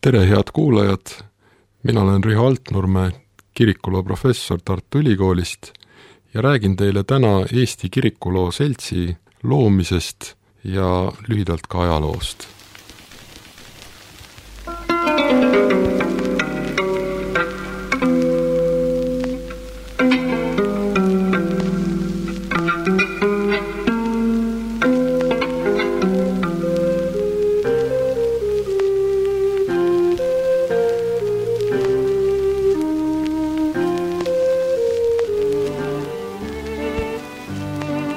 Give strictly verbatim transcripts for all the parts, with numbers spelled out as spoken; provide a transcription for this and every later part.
Tere, head kuulajad! Mina olen Riho Altnurme, kirikuloo professor Tartu Ülikoolist ja räägin teile täna Eesti Kirikuloo Seltsi loomisest ja lühidalt ka ajaloost.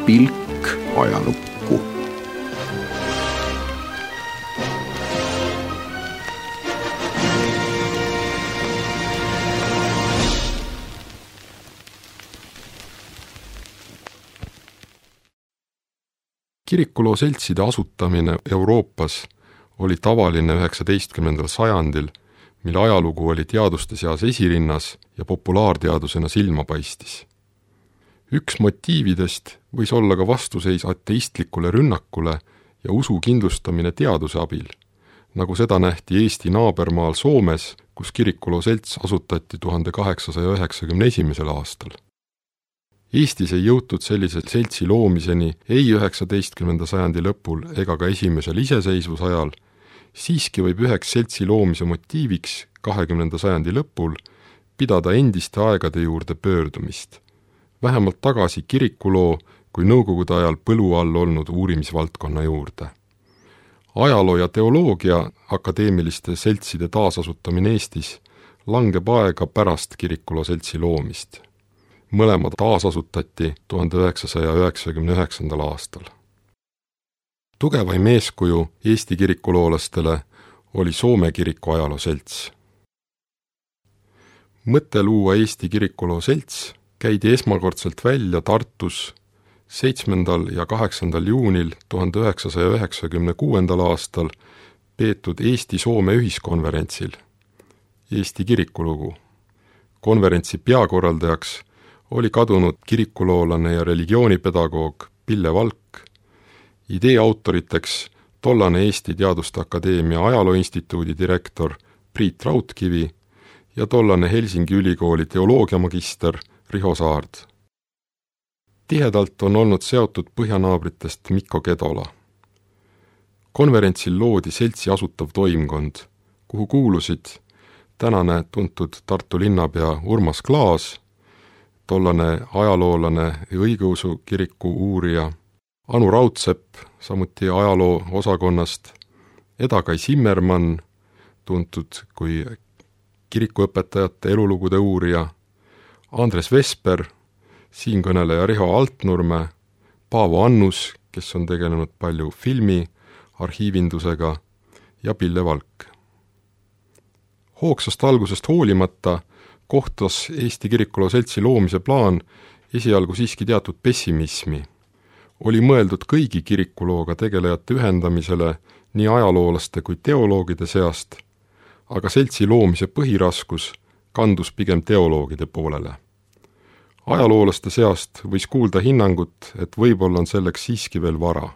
Pilk ajalukku. Kirikuloo seltside asutamine Euroopas oli tavaline üheksateistkümnendal sajandil, mil ajalugu oli teaduste seas esirinnas ja populaarteadusena silma paistis. Üks motiividest võis olla ka vastuseis ateistlikule rünnakule ja usu kindlustamine teaduse abil, nagu seda nähti Eesti naabermaal Soomes, kus Kirikuloo selts asutati tuhande kaheksasaja üheksakümne esimesel aastal. Eestis ei jõutud sellise seltsi loomiseni ei üheksateistkümnenda sajandi lõpul ega ka esimesel iseseisvusajal, siiski võib üheks seltsi loomise motiiviks kahekümnenda sajandi lõpul pidada endiste aegade juurde pöördumist, vähemalt tagasi kirikuloo kui nõukogude ajal põlu all olnud uurimisvaldkonna juurde. Ajaloo ja teoloogia akadeemiliste seltside taasasutamine Eestis langeb aega pärast Kirikuloo seltsi loomist. Mõlemad taasasutati tuhande üheksasaja üheksakümne üheksandal aastal. Tugevaim eeskuju Eesti kirikuloolastele oli Soome kiriku ajaloo selts. Mõte luua Eesti Kirikuloo selts käidi esmakordselt välja Tartus seitsmendal ja kaheksandal juunil tuhande üheksasaja üheksakümne kuuendal aastal peetud Eesti-Soome ühiskonverentsil Eesti kirikulugu. Konverentsi peakorraldajaks oli kadunud kirikuloolane ja religioonipedagoog Pille Valk, idee autoriteks tollane Eesti Teaduste Akadeemia Ajalooinstituudi direktor Priit Raudkivi ja tollane Helsingi ülikooli teoloogiamagister Riho Saard. Tihedalt on olnud seotud põhjanaabritest Mikko Kedola. Konverentsil loodi seltsi asutav toimkond, kuhu kuulusid tänane tuntud Tartu linnapea Urmas Klaas, tollane ajaloolane ja õigeusu kiriku uurija Anu Raudsepp, samuti ajaloo osakonnast, Eda-Kai Simmermann, tuntud kui kirikuõpetajate elulugude uurija, Andres Vesper, siinkõneleja Riho Altnurme, Paavo Annus, kes on tegelenud palju filmi, arhiivindusega, ja Pille Valk. Hoogsast algusest hoolimata kohtas Eesti Kirikuloo seltsi loomise plaan esialgu siiski teatud pessimismi. Oli mõeldud kõigi kirikulooga tegelejate ühendamisele nii ajaloolaste kui teoloogide seast, aga seltsi loomise põhiraskus kandus pigem teoloogide poolele. Ajaloolaste seast võis kuulda hinnangut, et võib-olla on selleks siiski veel vara.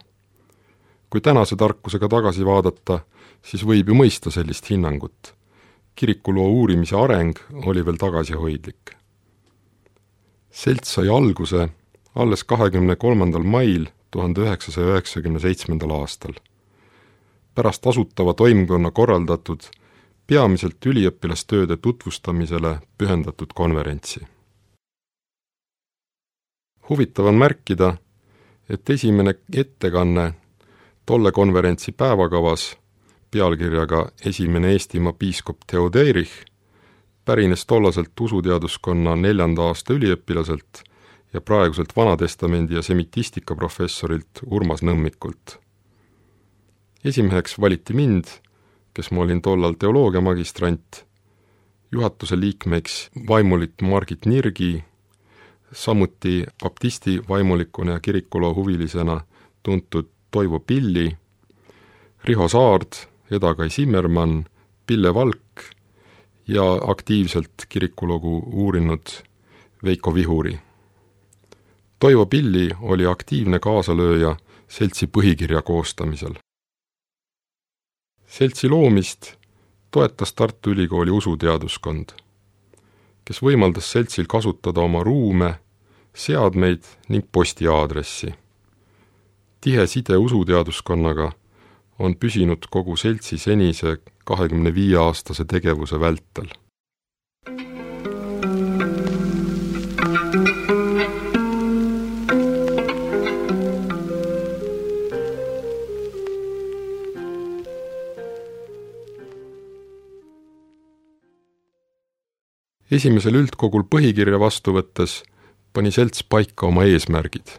Kui tänase tarkusega tagasi vaadata, siis võib ju mõista sellist hinnangut. Kirikuloo uurimise areng oli veel tagasihoidlik. Selts sai alguse alles kahekümne kolmandal mail tuhande üheksasaja üheksakümne seitsmendal aastal. Pärast asutava toimkonna korraldatud peamiselt üliõpilastööde tutvustamisele pühendatud konverentsi. Huvitav on märkida, et esimene ettekanne tolle konverentsi päevakavas pealkirjaga Esimene Eestimaa piiskop Theoderich pärines tollaselt usuteaduskonna neljanda aasta üliõpilaselt ja praeguselt Vanatestamendi ja semitistika professorilt Urmas Nõmmikult. Esimeheks valiti mind, kes ma olin tollal teoloogia magistrant, juhatuse liikmeks vaimulik Margit Nirgi, samuti baptisti vaimulikuna ja kirikuloo huvilisena tuntud Toivo Pilli, Riho Saard, Eda-Kai Simmermann, Pille Valk ja aktiivselt kirikulogu uurinud Veiko Vihuri. Toivo Pilli oli aktiivne kaasalööja seltsi põhikirja koostamisel. Seltsi loomist toetas Tartu Ülikooli usuteaduskond, kes võimaldas seltsil kasutada oma ruume, seadmeid ning postiaadressi. Tihe side usuteaduskonnaga on püsinud kogu seltsi senise kahekümne viie aastase tegevuse vältel. Esimesel üldkogul põhikirja vastu võttes pani selts paika oma eesmärgid,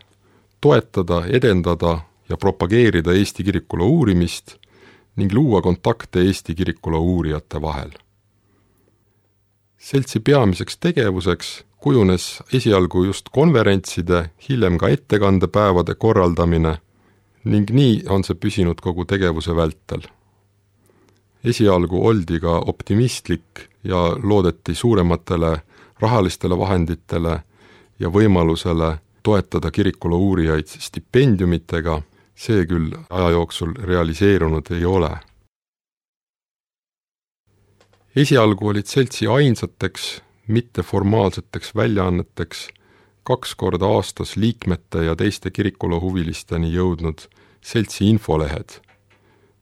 toetada, edendada ja propageerida Eesti kirikula uurimist ning luua kontakte Eesti kirikula uurijate vahel. Seltsi peamiseks tegevuseks kujunes esialgu just konverentside, hiljem ka ettekandepäevade korraldamine ning nii on see püsinud kogu tegevuse vältel. Esialgu oldi ka optimistlik ja loodeti suurematele rahalistele vahenditele ja võimalusele toetada kirikula uurijaid stipendiumitega, see küll aja jooksul realiseerunud ei ole. Esialgu olid seltsi ainsateks, mitteformaalseteks väljaanneteks kaks korda aastas liikmete ja teiste kirikula huvilisteni jõudnud seltsi infolehed,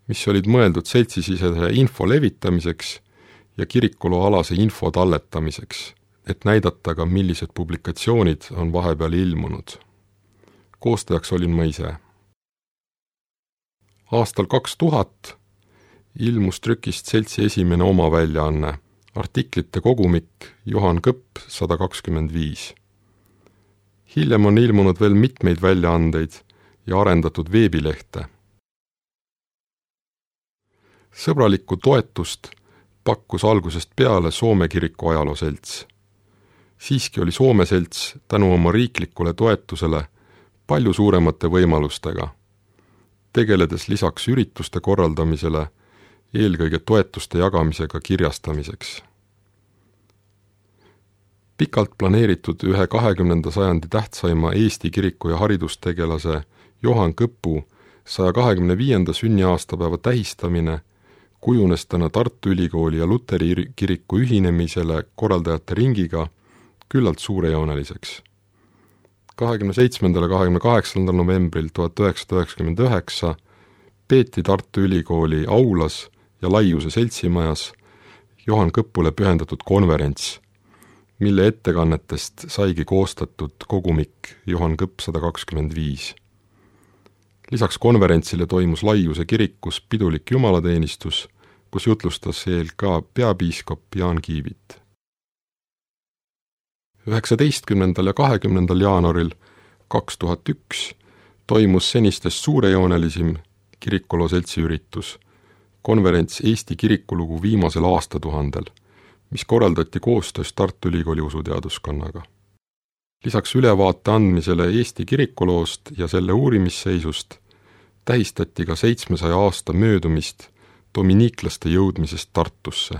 mis olid mõeldud seltsisisese info levitamiseks ja kirikula alase info talletamiseks, et näidata ka, millised publikatsioonid on vahepeal ilmunud. Koostajaks olin ma ise. Aastal kaks tuhat ilmus trükist seltsi esimene oma väljaanne, artiklite kogumik Johan Kõpp sada kakskümmend viis. Hiljem on ilmunud veel mitmeid väljaandeid ja arendatud veebilehte. Sõbralikku toetust pakkus algusest peale Soome kiriku ajalooselts. Siiski oli Soome selts tänu oma riiklikule toetusele palju suuremate võimalustega, tegeledes lisaks ürituste korraldamisele eelkõige toetuste jagamisega kirjastamiseks. Pikalt planeeritud ühe kahekümnenda sajandi tähtsaima Eesti kiriku ja haridustegelase Johan Kõpu saja kahekümne viienda sünniaastapäeva tähistamine kujunes täna Tartu Ülikooli ja Luteri kiriku ühinemisele korraldajate ringiga küllalt suurejooneliseks. kahekümne seitsmendal ja kahekümne kaheksandal novembril tuhat üheksasada üheksakümmend üheksa peeti Tartu Ülikooli aulas ja Laiuse seltsimajas Johan Kõpule pühendatud konverents, mille ettekannetest saigi koostatud kogumik Johan Kõpp sada kakskümmend viis. Lisaks konverentsile toimus Laiuse kirikus pidulik jumalateenistus, kus jutlustas eel ka peapiiskop Jaan Kiivit. üheksateistkümnendal ja kahekümnendal jaanuaril kaks tuhat üks toimus senistest suurejoonelisim kirikula seltsi üritus, konverents Eesti kirikulugu viimasel aastatuhandel, mis korraldati koostöös Tartu Ülikooli usuteaduskonnaga. Lisaks ülevaate andmisele Eesti kirikuloost ja selle uurimisseisust tähistati ka seitsmesaja aasta möödumist dominiiklaste jõudmisest Tartusse.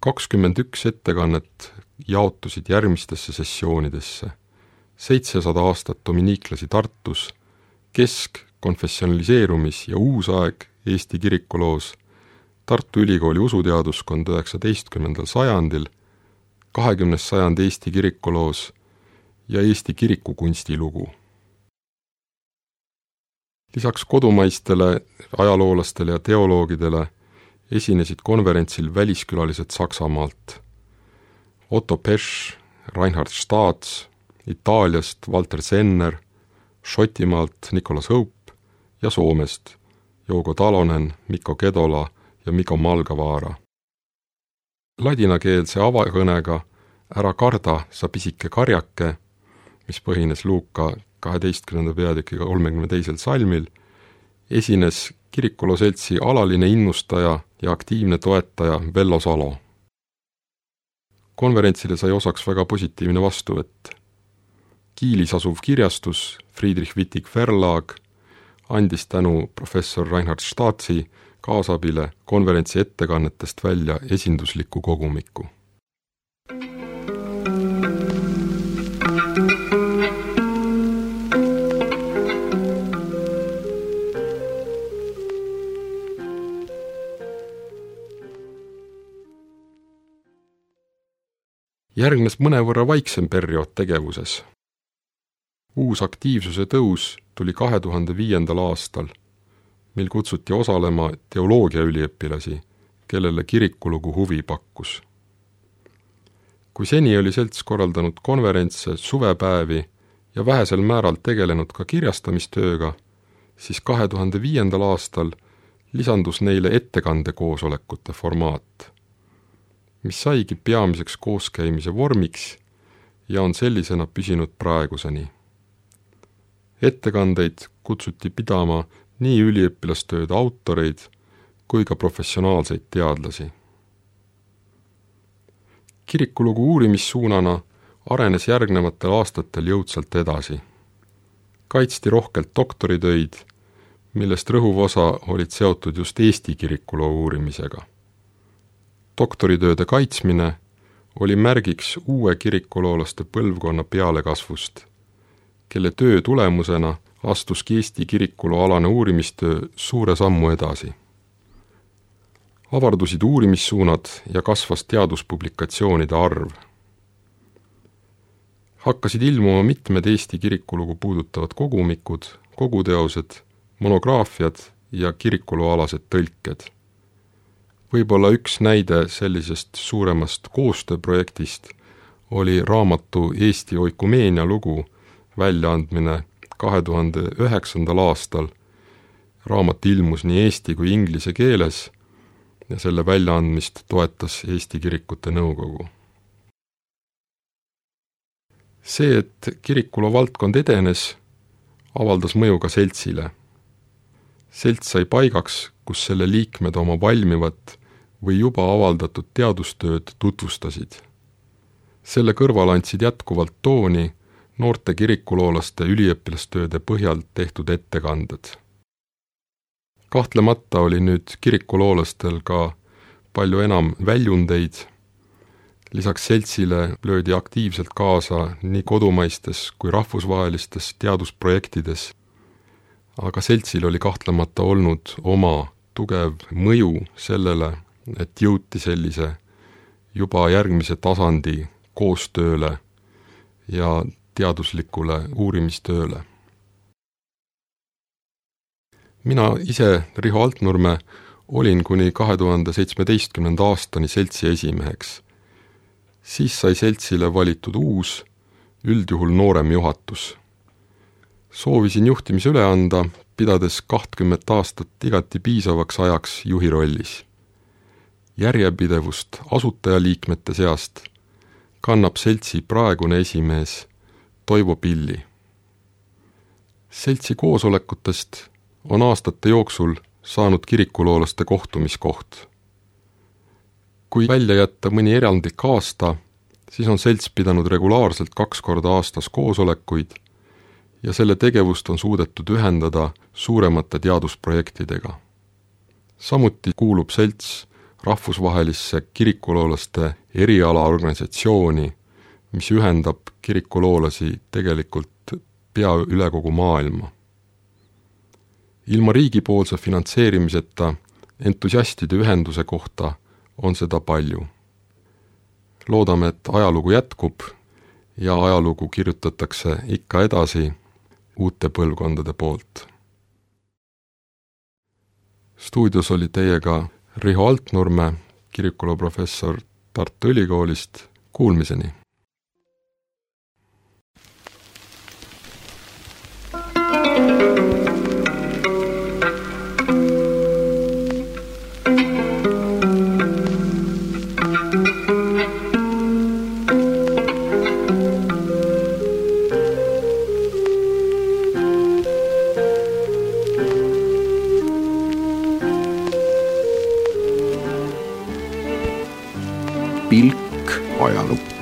kakskümmend üks ettekannet jaotusid järgmistesse sessioonidesse. seitsesada aastat dominiiklasi Tartus, kesk-, konfessionaliseerumis- ja uusaeg Eesti kirikuloos, Tartu Ülikooli usuteaduskond üheksateistkümnendal sajandil, kahekümnes sajand Eesti kirikuloos ja Eesti kirikukunstilugu. Lisaks kodumaistele ajaloolastele ja teoloogidele esinesid konverentsil väliskülalised Saksamaalt. Otto Pesch, Reinhard Staats, Itaaliast Walter Senner, Šotimaalt Nicolas Hope ja Soomest Jouko Talonen, Mikko Kedola ja Mikko Malgavaara. Ladinakeelse avakõnega Ära karda, sa pisike karjake, mis põhines Luuka kaheteistkümnenda peatükiga kolmekümne teisel salmil, esines kirikula seltsi alaline innustaja ja aktiivne toetaja Vello Salo. Konverentsile sai osaks väga positiivne vastuvõtt. Kiilis asuv kirjastus Friedrich Wittig Verlag andis tänu professor Reinhard Staatsi kaasabile konverentsi ettekannetest välja esindusliku kogumiku. Järgnes mõnevõrra vaiksem periood tegevuses. Uus aktiivsuse tõus tuli kahe tuhande viiendal aastal, mil kutsuti osalema teoloogiaüliõpilasi, kellele kirikulugu huvi pakkus. Kui seni oli selts korraldanud konverentse, suvepäevi ja vähesel määral tegelenud ka kirjastamistööga, siis kahe tuhande viiendal aastal lisandus neile ettekandekoosolekute formaat, mis saigi peamiseks kooskäimise vormiks ja on sellisena püsinud praeguseni. Ettekandeid kutsuti pidama nii üliõpilastööde autoreid kui ka professionaalseid teadlasi. Kirikulugu uurimissuunana arenes järgnevatel aastatel jõudsalt edasi. Kaitsti rohkelt doktoritöid, millest rõhuv osa olid seotud just Eesti kirikuloo uurimisega. Doktoritööde kaitsmine oli märgiks uue kirikuloolaste põlvkonna pealekasvust, kelle töö tulemusena astuski Eesti kirikuloo alane uurimistöö suure sammu edasi. Avardusid uurimissuunad ja kasvas teaduspublikatsioonide arv. Hakkasid ilmuma mitmed Eesti kirikulugu puudutavad kogumikud, koguteosed, monograafiad ja kirikulooalased tõlked. Võib-olla üks näide sellisest suuremast koostööprojektist oli raamatu Eesti oikumeenia lugu väljaandmine kahe tuhande üheksandal aastal. Raamat ilmus nii eesti kui inglise keeles ja selle väljaandmist toetas Eesti Kirikute Nõukogu. See, et kirikuloo valdkond edenes, avaldas mõju ka seltsile. Selts sai paigaks, kus selle liikmed oma valmivat või juba avaldatud teadustööd tutvustasid. Selle kõrval andsid jätkuvalt tooni noorte kirikuloolaste üliõpilastööde põhjal tehtud ettekanded. Kahtlemata oli nüüd kirikuloolastel ka palju enam väljundeid. Lisaks seltsile löödi aktiivselt kaasa nii kodumaistes kui rahvusvahelistes teadusprojektides, aga seltsil oli kahtlemata olnud oma tugev mõju sellele, et jõuti sellise juba järgmise tasandi koostööle ja teaduslikule uurimistööle. Mina ise, Riho Altnurme, olin kuni kahe tuhande seitsmeteistkümnenda aastani seltsi esimeheks. Siis sai seltsile valitud uus, üldjuhul noorem juhatus. Soovisin juhtimise üle anda, pidades kahtkümmet aastat igati piisavaks ajaks juhi rollis. Järjepidevust asutajaliikmete seast kannab seltsi praegune esimees Toivo Pilli. Seltsi koosolekutest on aastate jooksul saanud kirikuloolaste kohtumiskoht. Kui välja jätta mõni erandlik aasta, siis on selts pidanud regulaarselt kaks korda aastas koosolekuid ja selle tegevust on suudetud ühendada suuremate teadusprojektidega. Samuti kuulub selts rahvusvahelisse kirikuloolaste erialaorganisatsiooni, mis ühendab kirikuloolasi tegelikult pea üle kogu maailma. Ilma riigipoolse finantseerimiseta entusiastide ühenduse kohta on seda palju. Loodame, et ajalugu jätkub ja ajalugu kirjutatakse ikka edasi uute põlvkondade poolt. Stuudios oli teiega Riho Altnurme, kirikuloo professor Tartu Ülikoolist. Kuulmiseni! Pilk ajalukku.